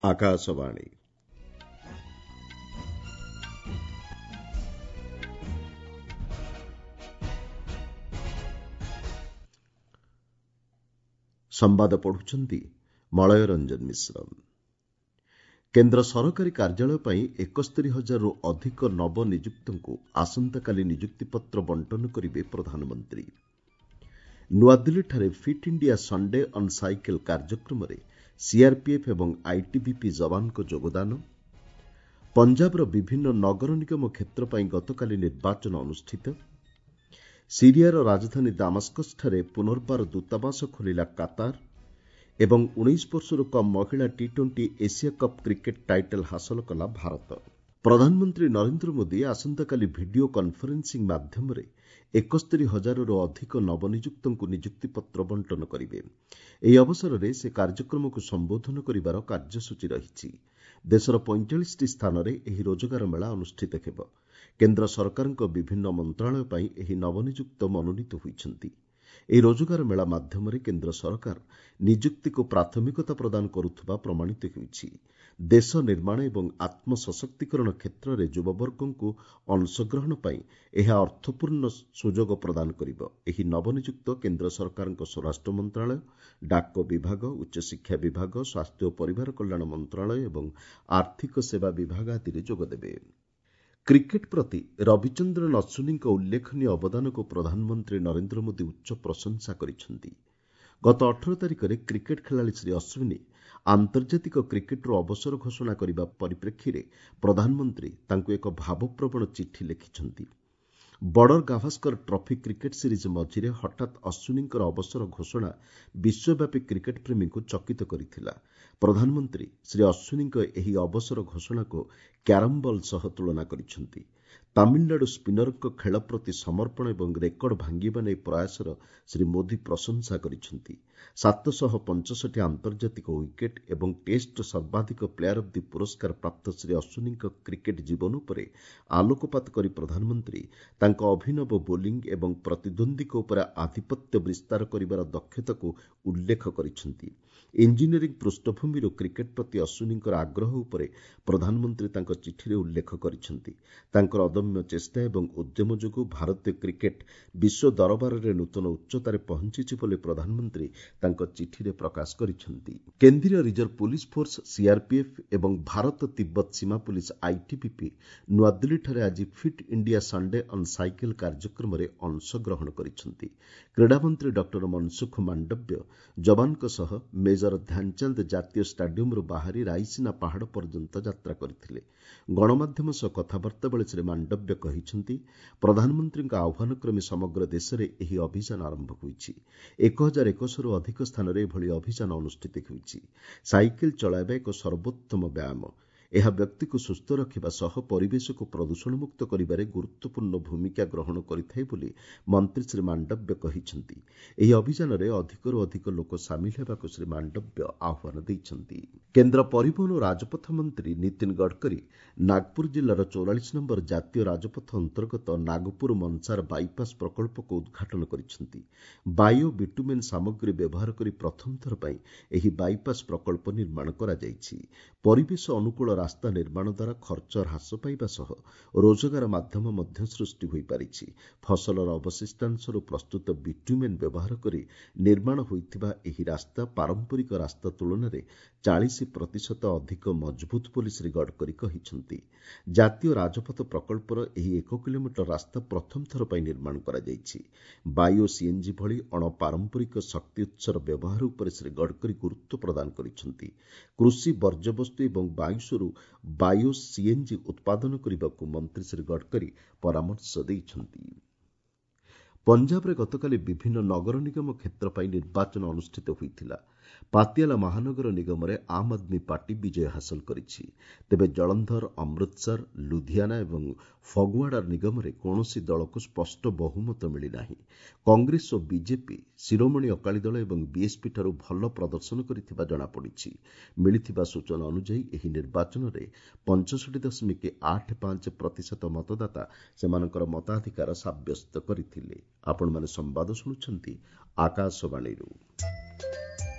ଆକାଶବାଣୀ। ସମ୍ବାଦ ପଢୁଛନ୍ତି ମଳୟ ରଞ୍ଜନ ମିଶ୍ର। କେନ୍ଦ୍ର ସରକାରୀ କାର୍ଯ୍ୟାଳୟ ପାଇଁ 71 ହଜାରରୁ ଅଧିକ ନବନିଯୁକ୍ତଙ୍କୁ ଆସନ୍ତାକାଲି ନିଯୁକ୍ତିପତ୍ର ବଣ୍ଟନ କରିବେ ପ୍ରଧାନମନ୍ତ୍ରୀ। ନୂଆଦିଲ୍ଲୀଠାରେ fit India Sunday on cycle କାର୍ଯ୍ୟକ୍ରମରେ ସିଆର୍ପିଏଫ୍ ଏବଂ ଆଇଟିବିପି ଯବାନଙ୍କ ଯୋଗଦାନ। ପଞ୍ଜାବର ବିଭିନ୍ନ ନଗର ନିଗମ କ୍ଷେତ୍ର ପାଇଁ ଗତକାଲି ନିର୍ବାଚନ ଅନୁଷ୍ଠିତ। ସିରିଆର ରାଜଧାନୀ ଦାମାସ୍କସଠାରେ ପୁନର୍ବାର ଦୂତାବାସ ଖୋଲିଲା କାତାର ଏବଂ 19 ବର୍ଷରୁ କମ୍ ମହିଳା T20 Asia cup cricket title ହାସଲ କଲା ଭାରତ। ପ୍ରଧାନମନ୍ତ୍ରୀ ନରେନ୍ଦ୍ର ମୋଦି ଆସନ୍ତାକାଲି ଭିଡିଓ କନ୍ଫରେନ୍ସିଂ ମାଧ୍ୟମରେ 71 ହଜାରରୁ ଅଧିକ ନବନିଯୁକ୍ତଙ୍କୁ ନିଯୁକ୍ତିପତ୍ର ବଣ୍ଟନ କରିବେ। ଏହି ଅବସରରେ ସେ କାର୍ଯ୍ୟକ୍ରମକୁ ସମ୍ବୋଧନ କରିବାର କାର୍ଯ୍ୟସୂଚୀ ରହିଛି। ଦେଶର 45ଟି ସ୍ଥାନରେ ଏହି ରୋଜଗାର ମେଳା ଅନୁଷ୍ଠିତ ହେବ। କେନ୍ଦ୍ର ସରକାରଙ୍କ ବିଭିନ୍ନ ମନ୍ତ୍ରଣାଳୟ ପାଇଁ ଏହି ନବନିଯୁକ୍ତ ମନୋନୀତ ହୋଇଛନ୍ତି। ଏହି ରୋଜଗାର ମେଳା ମାଧ୍ୟମରେ କେନ୍ଦ୍ର ସରକାର ନିଯୁକ୍ତିକୁ ପ୍ରାଥମିକତା ପ୍ରଦାନ କରୁଥିବା ପ୍ରମାଣିତ ହେଉଛି। ଦେଶ ନିର୍ମାଣ ଏବଂ ଆତ୍ମସଶକ୍ତିକରଣ କ୍ଷେତ୍ରରେ ଯୁବବର୍ଗଙ୍କୁ ଅଂଶଗ୍ରହଣ ପାଇଁ ଏହା ଅର୍ଥପୂର୍ଣ୍ଣ ସୁଯୋଗ ପ୍ରଦାନ କରିବ। ଏହି ନବନିଯୁକ୍ତ କେନ୍ଦ୍ର ସରକାରଙ୍କ ସ୍ୱରାଷ୍ଟ୍ର ମନ୍ତ୍ରଣାଳୟ, ଡାକ ବିଭାଗ, ଉଚ୍ଚଶିକ୍ଷା ବିଭାଗ, ସ୍ୱାସ୍ଥ୍ୟ ଓ ପରିବାର କଲ୍ୟାଣ ମନ୍ତ୍ରଣାଳୟ ଏବଂ ଆର୍ଥିକ ସେବା ବିଭାଗ ଆଦିରେ ଯୋଗଦେବେ। କ୍ରିକେଟ୍ ପ୍ରତି ରବିଚନ୍ଦ୍ରନ ଅଶ୍ୱିନୀଙ୍କ ଉଲ୍ଲେଖନୀୟ ଅବଦାନକୁ ପ୍ରଧାନମନ୍ତ୍ରୀ ନରେନ୍ଦ୍ର ମୋଦି ଉଚ୍ଚ ପ୍ରଶଂସା କରିଛନ୍ତି। ଗତ 18 ତାରିଖରେ କ୍ରିକେଟ୍ ଖେଳାଳି ଶ୍ରୀ ଅଶ୍ୱିନୀ ଆନ୍ତର୍ଜାତିକ କ୍ରିକେଟ୍ରୁ ଅବସର ଘୋଷଣା କରିବା ପରିପ୍ରେକ୍ଷୀରେ ପ୍ରଧାନମନ୍ତ୍ରୀ ତାଙ୍କୁ ଏକ ଭାବପ୍ରବଣ ଚିଠି ଲେଖିଛନ୍ତି। Border Gavaskar trophy cricket series ମଝିରେ ହଠାତ୍ ଅଶ୍ୱିନୀଙ୍କର ଅବସର ଘୋଷଣା ବିଶ୍ୱବ୍ୟାପୀ କ୍ରିକେଟ୍ ପ୍ରେମୀଙ୍କୁ ଚକିତ କରିଥିଲା। ପ୍ରଧାନମନ୍ତ୍ରୀ ଶ୍ରୀ ଅଶ୍ୱିନୀଙ୍କ ଏହି ଅବସର ଘୋଷଣାକୁ କ୍ୟାରମ୍ ବଲ୍ ସହ ତୁଳନା କରିଛନ୍ତି। ତାମିଲନାଡୁ ସ୍ପିନରଙ୍କ ଖେଳ ପ୍ରତି ସମର୍ପଣ ଏବଂ ରେକର୍ଡ ଭାଙ୍ଗିବା ନେଇ ପ୍ରୟାସର ଶ୍ରୀ ମୋଦି ପ୍ରଶଂସା କରିଛନ୍ତି। 765 ଆନ୍ତର୍ଜାତିକ ୱିକେଟ୍ ଏବଂ ଟେଷ୍ଟ ସର୍ବାଧିକ ପ୍ଲେୟାର ଅଫ୍ the ପୁରସ୍କାର ପ୍ରାପ୍ତ ଶ୍ରୀ ଅଶ୍ୱିନୀଙ୍କ କ୍ରିକେଟ୍ ଜୀବନ ଉପରେ ଆଲୋକପାତ କରି ପ୍ରଧାନମନ୍ତ୍ରୀ ତାଙ୍କ ଅଭିନବ ବୋଲିଂ ଏବଂ ପ୍ରତିଦ୍ୱନ୍ଦ୍ୱୀଙ୍କ ଉପରେ ଆଧିପତ୍ୟ ବିସ୍ତାର କରିବାର ଦକ୍ଷତାକୁ ଉଲ୍ଲେଖ କରିଛନ୍ତି। ଇଞ୍ଜିନିୟରିଂ ପୃଷ୍ଠଭୂମିରୁ କ୍ରିକେଟ୍ ପ୍ରତି ଅଶ୍ୱିନୀଙ୍କର ଆଗ୍ରହ ଉପରେ ପ୍ରଧାନମନ୍ତ୍ରୀ ତାଙ୍କ ଚିଠିରେ ଉଲ୍ଲେଖ କରିଛନ୍ତି। ତାଙ୍କର ଅଦମ୍ୟ ଚେଷ୍ଟା ଏବଂ ଉଦ୍ୟମ ଯୋଗୁଁ ଭାରତୀୟ କ୍ରିକେଟ୍ ବିଶ୍ୱ ଦରବାରରେ ନୂତନ ଉଚ୍ଚତାରେ ପହଞ୍ଚିଛି ବୋଲି ପ୍ରଧାନମନ୍ତ୍ରୀ ତାଙ୍କ ଚିଠିରେ ପ୍ରକାଶ କରିଛନ୍ତି। କେନ୍ଦ୍ରୀୟ ରିଜର୍ଭ ପୁଲିସ୍ ଫୋର୍ସ ସିଆର୍ପିଏଫ୍ ଏବଂ ଭାରତ ତିବ୍ବତ ସୀମା ପୁଲିସ୍ ଆଇଟିବିପି ନୂଆଦିଲ୍ଲୀଠାରେ ଆଜି fit India Sunday on cycle କାର୍ଯ୍ୟକ୍ରମରେ ଅଂଶଗ୍ରହଣ କରିଛନ୍ତି। କ୍ରୀଡ଼ାମନ୍ତ୍ରୀ ଡକ୍ଟର ମନସୁଖ ମାଣ୍ଡବ୍ୟ ଯବାନଙ୍କ ସହ ମେଜର ଧ୍ୟାନଚାନ୍ଦ ଜାତୀୟ ଷ୍ଟାଡିୟମ୍ରୁ ବାହାରି ରାଇସିନା ପାହାଡ଼ ପର୍ଯ୍ୟନ୍ତ ଯାତ୍ରା କରିଥିଲେ। ଗଣମାଧ୍ୟମ ସହ କଥାବାର୍ତ୍ତା ବେଳେ ଶ୍ରୀ ମାଣ୍ଡବ୍ୟ କହିଛନ୍ତି, ପ୍ରଧାନମନ୍ତ୍ରୀଙ୍କ ଆହ୍ୱାନ କ୍ରମେ ସମଗ୍ର ଦେଶରେ ଏହି ଅଭିଯାନ ଆରମ୍ଭ ହୋଇଛି। 1100ରୁ ଅଧିକ ସ୍ଥାନରେ ଏଭଳି ଅଭିଯାନ ଅନୁଷ୍ଠିତ ହେଉଛି। ସାଇକେଲ ଚଳାଇବା ଏକ ସର୍ବୋତ୍ତମ ବ୍ୟାୟାମ। ଏହା ବ୍ୟକ୍ତିକୁ ସୁସ୍ଥ ରଖିବା ସହ ପରିବେଶକୁ ପ୍ରଦୂଷଣମୁକ୍ତ କରିବାରେ ଗୁରୁତ୍ୱପୂର୍ଣ୍ଣ ଭୂମିକା ଗ୍ରହଣ କରିଥାଏ ବୋଲି ମନ୍ତ୍ରୀ ଶ୍ରୀ ମାଣ୍ଡବ୍ୟ କହିଛନ୍ତି। ଏହି ଅଭିଯାନରେ ଅଧିକରୁ ଅଧିକ ଲୋକ ସାମିଲ ହେବାକୁ ଶ୍ରୀ ମାଣ୍ଡବ୍ୟ ଆହ୍ୱାନ ଦେଇଛନ୍ତି। କେନ୍ଦ୍ର ପରିବହନ ଓ ରାଜପଥ ମନ୍ତ୍ରୀ ନୀତିନ ଗଡ଼କରୀ ନାଗପୁର ଜିଲ୍ଲାର 44 ନମ୍ବର ଜାତୀୟ ରାଜପଥ ଅନ୍ତର୍ଗତ ନାଗପୁର ମନସାର ବାଇପାସ୍ ପ୍ରକଳ୍ପକୁ ଉଦ୍ଘାଟନ କରିଛନ୍ତି। ବାୟୋ ବିଟୁମେନ୍ ସାମଗ୍ରୀ ବ୍ୟବହାର କରି ପ୍ରଥମ ଥର ପାଇଁ ଏହି ବାଇପାସ୍ ପ୍ରକଳ୍ପ ନିର୍ମାଣ କରାଯାଇଛି। ପରିବେଶ ଅନୁକୂଳ ରାସ୍ତା ନିର୍ମାଣ ଦ୍ୱାରା ଖର୍ଚ୍ଚ ହ୍ରାସ ପାଇବା ସହ ରୋଜଗାର ମାଧ୍ୟମ ମଧ୍ୟ ସୃଷ୍ଟି ହୋଇପାରିଛି। ଫସଲର ଅବଶିଷ୍ଟାଂଶରୁ ପ୍ରସ୍ତୁତ ବିଟ୍ୟୁମେନ୍ ବ୍ୟବହାର କରି ନିର୍ମାଣ ହୋଇଥିବା ଏହି ରାସ୍ତା ପାରମ୍ପରିକ ରାସ୍ତା ତୁଳନାରେ 40% ଅଧିକ ମଜବୁତ ବୋଲି ଶ୍ରୀ ଗଡ଼କରୀ କହିଛନ୍ତି। ଜାତୀୟ ରାଜପଥ ପ୍ରକଳ୍ପର ଏହି 1 କିଲୋମିଟର ରାସ୍ତା ପ୍ରଥମ ଥର ପାଇଁ ନିର୍ମାଣ କରାଯାଇଛି। ବାୟୋ ସିଏନ୍ଜି ଭଳି ଅଣପାରମ୍ପରିକ ଶକ୍ତି ଉତ୍ସର ବ୍ୟବହାର ଉପରେ ଶ୍ରୀ ଗଡ଼କରୀ ଗୁରୁତ୍ୱ ପ୍ରଦାନ କରିଛନ୍ତି। କୃଷି ବର୍ଜ୍ୟବସ୍ତୁ ଏବଂ ବାଉଁଶରୁ ବାୟୋ ସିଏନ୍ଜି ଉତ୍ପାଦନ କରିବାକୁ ମନ୍ତ୍ରୀ ଶ୍ରୀ ଗଡ଼କରୀ ପରାମର୍ଶ ଦେଇଛନ୍ତି। ପଞ୍ଜାବରେ ଗତକାଲି ବିଭିନ୍ନ ନଗର ନିଗମ କ୍ଷେତ୍ର ପାଇଁ ନିର୍ବାଚନ ଅନୁଷ୍ଠିତ ହୋଇଥିଲା। ପାତିଆଲା ମହାନଗର ନିଗମରେ ଆମ୍ ଆଦମୀ ପାର୍ଟି ବିଜୟ ହାସଲ କରିଛି। ତେବେ ଜଳନ୍ଧର, ଅମୃତସର, ଲୁଧିଆନା ଏବଂ ଫଗୱାଡ଼ା ନିଗମରେ କୌଣସି ଦଳକୁ ସ୍ପଷ୍ଟ ବହୁମତ ମିଳିନାହିଁ। କଂଗ୍ରେସ ଓ ବିଜେପି ଶିରୋମଣି ଅକାଳୀ ଦଳ ଏବଂ ବିଏସ୍ପିଠାରୁ ଭଲ ପ୍ରଦର୍ଶନ କରିଥିବା ଜଣାପଡ଼ିଛି। ମିଳିଥିବା ସୂଚନା ଅନୁଯାୟୀ ଏହି ନିର୍ବାଚନରେ 65.85% ମତଦାତା ସେମାନଙ୍କର ମତାଧିକାର ସାବ୍ୟସ୍ତ କରିଥିଲେ। ଆପଣମାନେ ସମ୍ବାଦ ଶୁଣୁଛନ୍ତି ଆକାଶବାଣୀରୁ।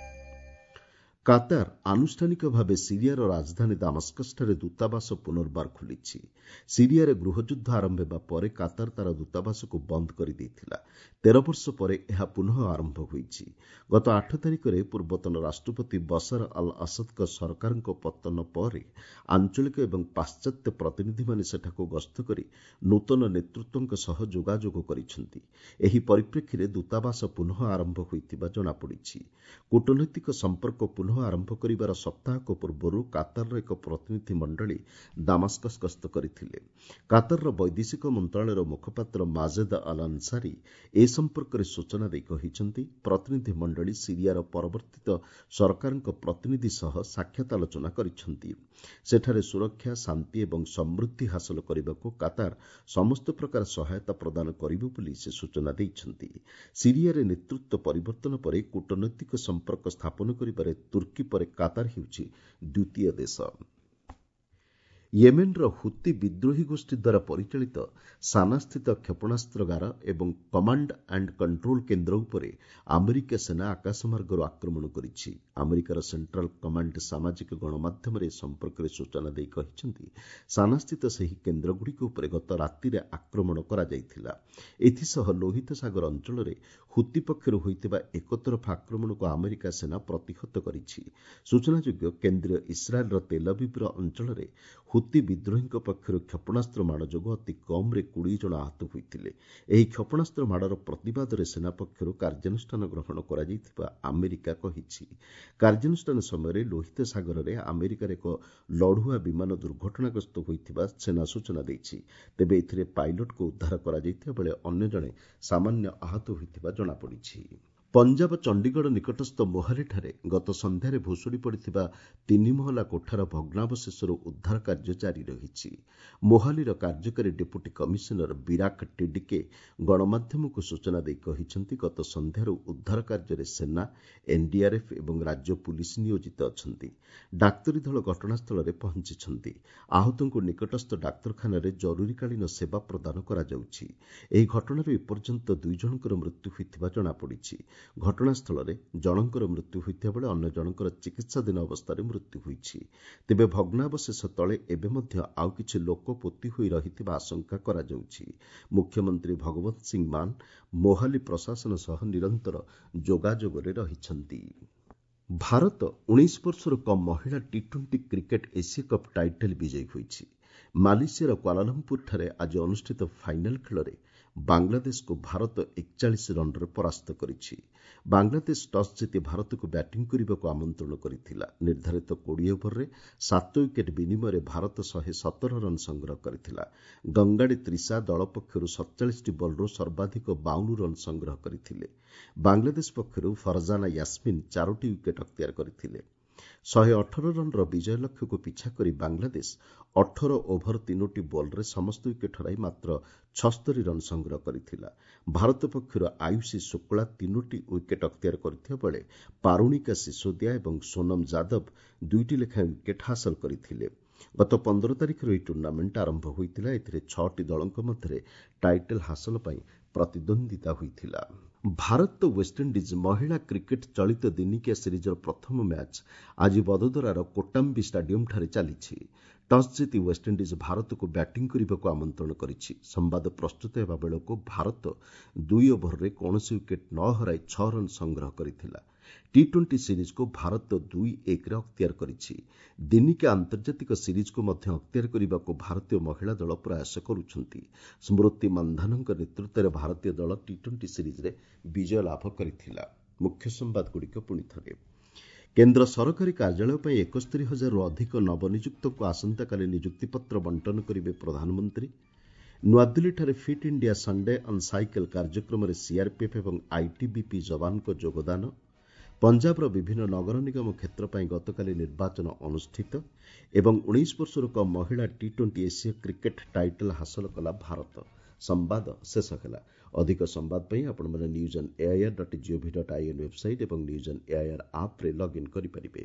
କାତାର ଆନୁଷ୍ଠାନିକ ଭାବେ ସିରିଆର ରାଜଧାନୀ ଦାମାସ୍କସଠାରେ ଦୂତାବାସ ପୁନର୍ବାର ଖୋଲିଛି। ସିରିଆରେ ଗୃହଯୁଦ୍ଧ ଆରମ୍ଭ ହେବା ପରେ କାତାର ତା'ର ଦୂତାବାସକୁ ବନ୍ଦ କରିଦେଇଥିଲା। 13 ବର୍ଷ ପରେ ଏହା ପୁନଃ ଆରମ୍ଭ ହୋଇଛି। ଗତ 8 ତାରିଖରେ ପୂର୍ବତନ ରାଷ୍ଟ୍ରପତି ବସର ଅଲ୍ ଅସଦଙ୍କ ସରକାରଙ୍କ ପତନ ପରେ ଆଞ୍ଚଳିକ ଏବଂ ପାଶ୍ଚାତ୍ୟ ପ୍ରତିନିଧିମାନେ ସେଠାକୁ ଗସ୍ତ କରି ନୂତନ ନେତୃତ୍ୱଙ୍କ ସହ ଯୋଗାଯୋଗ କରିଛନ୍ତି। ଏହି ପରିପ୍ରେକ୍ଷୀରେ ଦୂତାବାସ ପୁନଃ ଆରମ୍ଭ ହୋଇଥିବା ଜଣାପଡ଼ିଛି। କୂଟନୈତିକ ସମ୍ପର୍କ ପୁନଃ ଆରମ୍ଭ କରିବାର ସପ୍ତାହକ ପୂର୍ବରୁ କାତାରର ଏକ ପ୍ରତିନିଧି ମଣ୍ଡଳୀ ଦାମାସ୍କସ୍ ଗସ୍ତ କରିଥିଲେ। କାତାରର ବୈଦେଶିକ ମନ୍ତ୍ରଣାଳୟର ମୁଖପାତ୍ର ମାଜେଦ ଅଲ୍ ଅନ୍ସାରୀ ଏ ସମ୍ପର୍କରେ ସୂଚନା ଦେଇ କହିଛନ୍ତି, ପ୍ରତିନିଧି ମଣ୍ଡଳୀ ସିରିଆର ପରବର୍ତ୍ତିତ ସରକାରଙ୍କ ପ୍ରତିନିଧି ସହ ସାକ୍ଷାତ ଆଲୋଚନା କରିଛନ୍ତି। ସେଠାରେ ସୁରକ୍ଷା, ଶାନ୍ତି ଏବଂ ସମୃଦ୍ଧି ହାସଲ କରିବାକୁ କାତାର ସମସ୍ତ ପ୍ରକାର ସହାୟତା ପ୍ରଦାନ କରିବ ବୋଲି ସେ ସୂଚନା ଦେଇଛନ୍ତି। ସିରିଆରେ ନେତୃତ୍ୱ ପରିବର୍ତ୍ତନ ପରେ କୂଟନୈତିକ ସମ୍ପର୍କ ସ୍ଥାପନ କରିବାରେ ତୁର୍କୀ ପରେ କାତାର ହେଉଛି ଦ୍ୱିତୀୟ ଦେଶ। ୟେମେନ୍ର ହୁତି ବିଦ୍ରୋହୀ ଗୋଷ୍ଠୀ ଦ୍ୱାରା ପରିଚାଳିତ ସାନାସ୍ଥିତ କ୍ଷେପଣାସ୍ତ୍ରଗାର ଏବଂ କମାଣ୍ଡ ଆଣ୍ଡ କଣ୍ଟ୍ରୋଲ କେନ୍ଦ୍ର ଉପରେ ଆମେରିକା ସେନା ଆକାଶମାର୍ଗରୁ ଆକ୍ରମଣ କରିଛି। ଆମେରିକାର ସେଣ୍ଟ୍ରାଲ କମାଣ୍ଡ ସାମାଜିକ ଗଣମାଧ୍ୟମରେ ଏ ସମ୍ପର୍କରେ ସୂଚନା ଦେଇ କହିଛନ୍ତି, ସାନାସ୍ଥିତ ସେହି କେନ୍ଦ୍ରଗୁଡ଼ିକ ଉପରେ ଗତ ରାତିରେ ଆକ୍ରମଣ କରାଯାଇଥିଲା। ଏଥିସହ ଲୋହିତ ସାଗର ଅଞ୍ଚଳରେ ହୁତି ପକ୍ଷରୁ ହୋଇଥିବା ଏକତରଫା ଆକ୍ରମଣକୁ ଆମେରିକା ସେନା ପ୍ରତିହତ କରିଛି। ସୂଚନାଯୋଗ୍ୟ, କେନ୍ଦ୍ରୀୟ ଇସ୍ରାଏଲ୍ର ତେଲବିବ୍ର ଅଞ୍ଚଳରେ ହୁତି ବିଦ୍ରୋହୀଙ୍କ ପକ୍ଷରୁ କ୍ଷେପଣାସ୍ତ୍ର ମାଡ଼ ଯୋଗୁଁ ଅତି କମ୍ରେ 20 ଜଣ ଆହତ ହୋଇଥିଲେ। ଏହି କ୍ଷେପଣାସ୍ତ୍ର ମାଡ଼ର ପ୍ରତିବାଦରେ ସେନା ପକ୍ଷରୁ କାର୍ଯ୍ୟାନୁଷ୍ଠାନ ଗ୍ରହଣ କରାଯାଇଥିବା ଆମେରିକା କହିଛି। କାର୍ଯ୍ୟାନୁଷ୍ଠାନ ସମୟରେ ଲୋହିତ ସାଗରରେ ଆମେରିକାର ଏକ ଲଢୁଆ ବିମାନ ଦୁର୍ଘଟଣାଗ୍ରସ୍ତ ହୋଇଥିବା ସେନା ସୂଚନା ଦେଇଛି। ତେବେ ଏଥିରେ ପାଇଲଟକୁ ଉଦ୍ଧାର କରାଯାଇଥିବା ବେଳେ ଅନ୍ୟ ଜଣେ ସାମାନ୍ୟ ଆହତ ହୋଇଥିବା ଜଣାପଡ଼ିଛି। ପଞ୍ଜାବ ଚଣ୍ଡିଗଡ଼ ନିକଟସ୍ଥ ମୋହାଲିଠାରେ ଗତ ସନ୍ଧ୍ୟାରେ ଭୁଶୁଡ଼ି ପଡ଼ିଥିବା 3 ମହଲା କୋଠାର ଭଗ୍ନାବଶେଷରୁ ଉଦ୍ଧାର କାର୍ଯ୍ୟ ଜାରି ରହିଛି। ମୋହାଲିର କାର୍ଯ୍ୟକାରୀ ଡେପୁଟି କମିଶନର ବିରାକ ଟିଡିକେ ଗଣମାଧ୍ୟମକୁ ସୂଚନା ଦେଇ କହିଛନ୍ତି, ଗତ ସନ୍ଧ୍ୟାରୁ ଉଦ୍ଧାର କାର୍ଯ୍ୟରେ ସେନା, ଏନ୍ଡିଆର୍ଏଫ୍ ଏବଂ ରାଜ୍ୟ ପୁଲିସ୍ ନିୟୋଜିତ ଅଛନ୍ତି। ଡାକ୍ତରୀ ଦଳ ଘଟଣାସ୍ଥଳରେ ପହଞ୍ଚିଛନ୍ତି। ଆହତଙ୍କୁ ନିକଟସ୍ଥ ଡାକ୍ତରଖାନାରେ ଜରୁରୀକାଳୀନ ସେବା ପ୍ରଦାନ କରାଯାଉଛି। ଏହି ଘଟଣାରେ ଏପର୍ଯ୍ୟନ୍ତ 2 ଜଣଙ୍କର ମୃତ୍ୟୁ ହୋଇଥିବା ଜଣାପଡ଼ିଛି। ଘଟଣାସ୍ଥଳରେ ଜଣଙ୍କର ମୃତ୍ୟୁ ହୋଇଥିବା ବେଳେ ଅନ୍ୟ ଜଣଙ୍କର ଚିକିତ୍ସାଧୀନ ଅବସ୍ଥାରେ ମୃତ୍ୟୁ ହୋଇଛି। ତେବେ ଭଗ୍ନାବଶେଷ ତଳେ ଏବେ ମଧ୍ୟ ଆଉ କିଛି ଲୋକ ପୋତି ହୋଇ ରହିଥିବା ଆଶଙ୍କା କରାଯାଉଛି। ମୁଖ୍ୟମନ୍ତ୍ରୀ ଭଗବନ୍ତ ସିଂ ମାନ ମୋହାଲି ପ୍ରଶାସନ ସହ ନିରନ୍ତର ଯୋଗାଯୋଗରେ ରହିଛନ୍ତି। ଭାରତ 19 ବର୍ଷରୁ କମ୍ ମହିଳା T20 cricket Asia cup title ବିଜୟୀ ହୋଇଛି। ମାଲେସିଆର କ୍ୱାଲାଲମ୍ପୁରଠାରେ ଆଜି ଅନୁଷ୍ଠିତ ଫାଇନାଲ ଖେଳରେ ବାଂଲାଦେଶକୁ ଭାରତ 41 ରନ୍ରେ ପରାସ୍ତ କରିଛି। ବାଂଲାଦେଶ ଟସ୍ ଜିତି ଭାରତକୁ ବ୍ୟାଟିଂ କରିବାକୁ ଆମନ୍ତ୍ରଣ କରିଥିଲା। ନିର୍ଦ୍ଧାରିତ 20 ଓଭରରେ 7 ୱିକେଟ୍ ବିନିମୟରେ ଭାରତ 117 ରନ୍ ସଂଗ୍ରହ କରିଥିଲା। ଗଙ୍ଗାଡ଼ି ତ୍ରିଶା ଦଳ ପକ୍ଷରୁ 47ଟି ବଲ୍ରୁ ସର୍ବାଧିକ 52 ରନ୍ ସଂଗ୍ରହ କରିଥିଲେ। ବାଂଲାଦେଶ ପକ୍ଷରୁ ଫରଜାନା ୟାସ୍ମିନ୍ 4ଟି ୱିକେଟ୍ ଅକ୍ତିଆର କରିଥିଲେ। 118 ରନ୍ର ବିଜୟ ଲକ୍ଷ୍ୟକୁ ପିଛା କରି ବାଂଲାଦେଶ 18 ଓଭର 3ଟି ବଲ୍ରେ ସମସ୍ତ ୱିକେଟ୍ ହରାଇ ମାତ୍ର 76 ରନ୍ ସଂଗ୍ରହ କରିଥିଲା। ଭାରତ ପକ୍ଷରୁ ଆୟୁଷୀ ଶୁକ୍ଳା 3ଟି ୱିକେଟ୍ ଅକ୍ତିଆର କରିଥିବା ବେଳେ ପାରୁଣିକା ସିସୋଦିଆ ଏବଂ ସୋନମ ଯାଦବ 2ଟି ଲେଖାଏଁ ୱିକେଟ୍ ହାସଲ କରିଥିଲେ। ଗତ 15 ତାରିଖରୁ ଏହି ଟୁର୍ଣ୍ଣାମେଣ୍ଟ ଆରମ୍ଭ ହୋଇଥିଲା। ଏଥିରେ 6ଟି ଦଳଙ୍କ ମଧ୍ୟରେ ଟାଇଟଲ୍ ହାସଲ ପାଇଁ ପ୍ରତିଦ୍ୱନ୍ଦ୍ୱିତା ହୋଇଥିଲା। ଭାରତ ୱେଷ୍ଟଇଣ୍ଡିଜ୍ ମହିଳା କ୍ରିକେଟ୍ ଚଳିତ ଦିନିକିଆ ସିରିଜ୍ର ପ୍ରଥମ ମ୍ୟାଚ୍ ଆଜି ବଦୋଦରାର କୋଟାମ୍ବି ଷ୍ଟାଡିୟମ୍ଠାରେ ଚାଲିଛି। ଟସ୍ ଜିତି ୱେଷ୍ଟଇଣ୍ଡିଜ୍ ଭାରତକୁ ବ୍ୟାଟିଂ କରିବାକୁ ଆମନ୍ତ୍ରଣ କରିଛି। ସମ୍ବାଦ ପ୍ରସ୍ତୁତ ହେବା ବେଳକୁ ଭାରତ 2 ଓଭରରେ କୌଣସି ୱିକେଟ୍ ନ ହରାଇ 6 ରନ୍ ସଂଗ୍ରହ କରିଥିଲା। ଟି-20 ସିରିଜ୍କୁ ଭାରତ 2-1ରେ ଅକ୍ତିଆର କରିଛି। ଦିନିକିଆ ଆନ୍ତର୍ଜାତିକ ସିରିଜ୍କୁ ମଧ୍ୟ ଅକ୍ତିଆର କରିବାକୁ ଭାରତୀୟ ମହିଳା ଦଳ ପ୍ରୟାସ କରୁଛନ୍ତି। ସ୍ମୃତି ମନ୍ଧାନଙ୍କ ନେତୃତ୍ୱରେ ଭାରତୀୟ ଦଳ ଟି-20 ସିରିଜ୍ରେ ବିଜୟ ଲାଭ କରିଥିଲା। ମୁଖ୍ୟ ସମ୍ବାଦଗୁଡ଼ିକ ପୁଣି ଥରେ। କେନ୍ଦ୍ର ସରକାରୀ କାର୍ଯ୍ୟାଳୟ ପାଇଁ 71,000ରୁ ଅଧିକ ନବନିଯୁକ୍ତଙ୍କୁ ଆସନ୍ତାକାଲି ନିଯୁକ୍ତିପତ୍ର ବଣ୍ଟନ କରିବେ ପ୍ରଧାନମନ୍ତ୍ରୀ। ନୂଆଦିଲ୍ଲୀଠାରେ fit India Sunday on cycle କାର୍ଯ୍ୟକ୍ରମରେ ସିଆର୍ପିଏଫ୍ ଏବଂ ଆଇଟିବିପି ଯବାନଙ୍କ ଯୋଗଦାନ। ପଞ୍ଜାବର ବିଭିନ୍ନ ନଗର ନିଗମ କ୍ଷେତ୍ର ପାଇଁ ଗତକାଲି ନିର୍ବାଚନ ଅନୁଷ୍ଠିତ ଏବଂ 19 ବର୍ଷରୁ କମ୍ ମହିଳା ଟି-20 ଏସୀୟ କ୍ରିକେଟ୍ ଟାଇଟଲ୍ ହାସଲ କଲା ଭାରତ। ସମ୍ବାଦ ଶେଷ ହେଲା। ଅଧିକ ସମ୍ବାଦ ପାଇଁ ଆପଣମାନେ news on AIR dot GOV dot IN website ଏବଂ ନ୍ୟୁଜ୍ ଅନ୍ ଏଆଇଆର୍ ଆପ୍ରେ ଲଗ୍ଇନ୍ କରିପାରିବେ।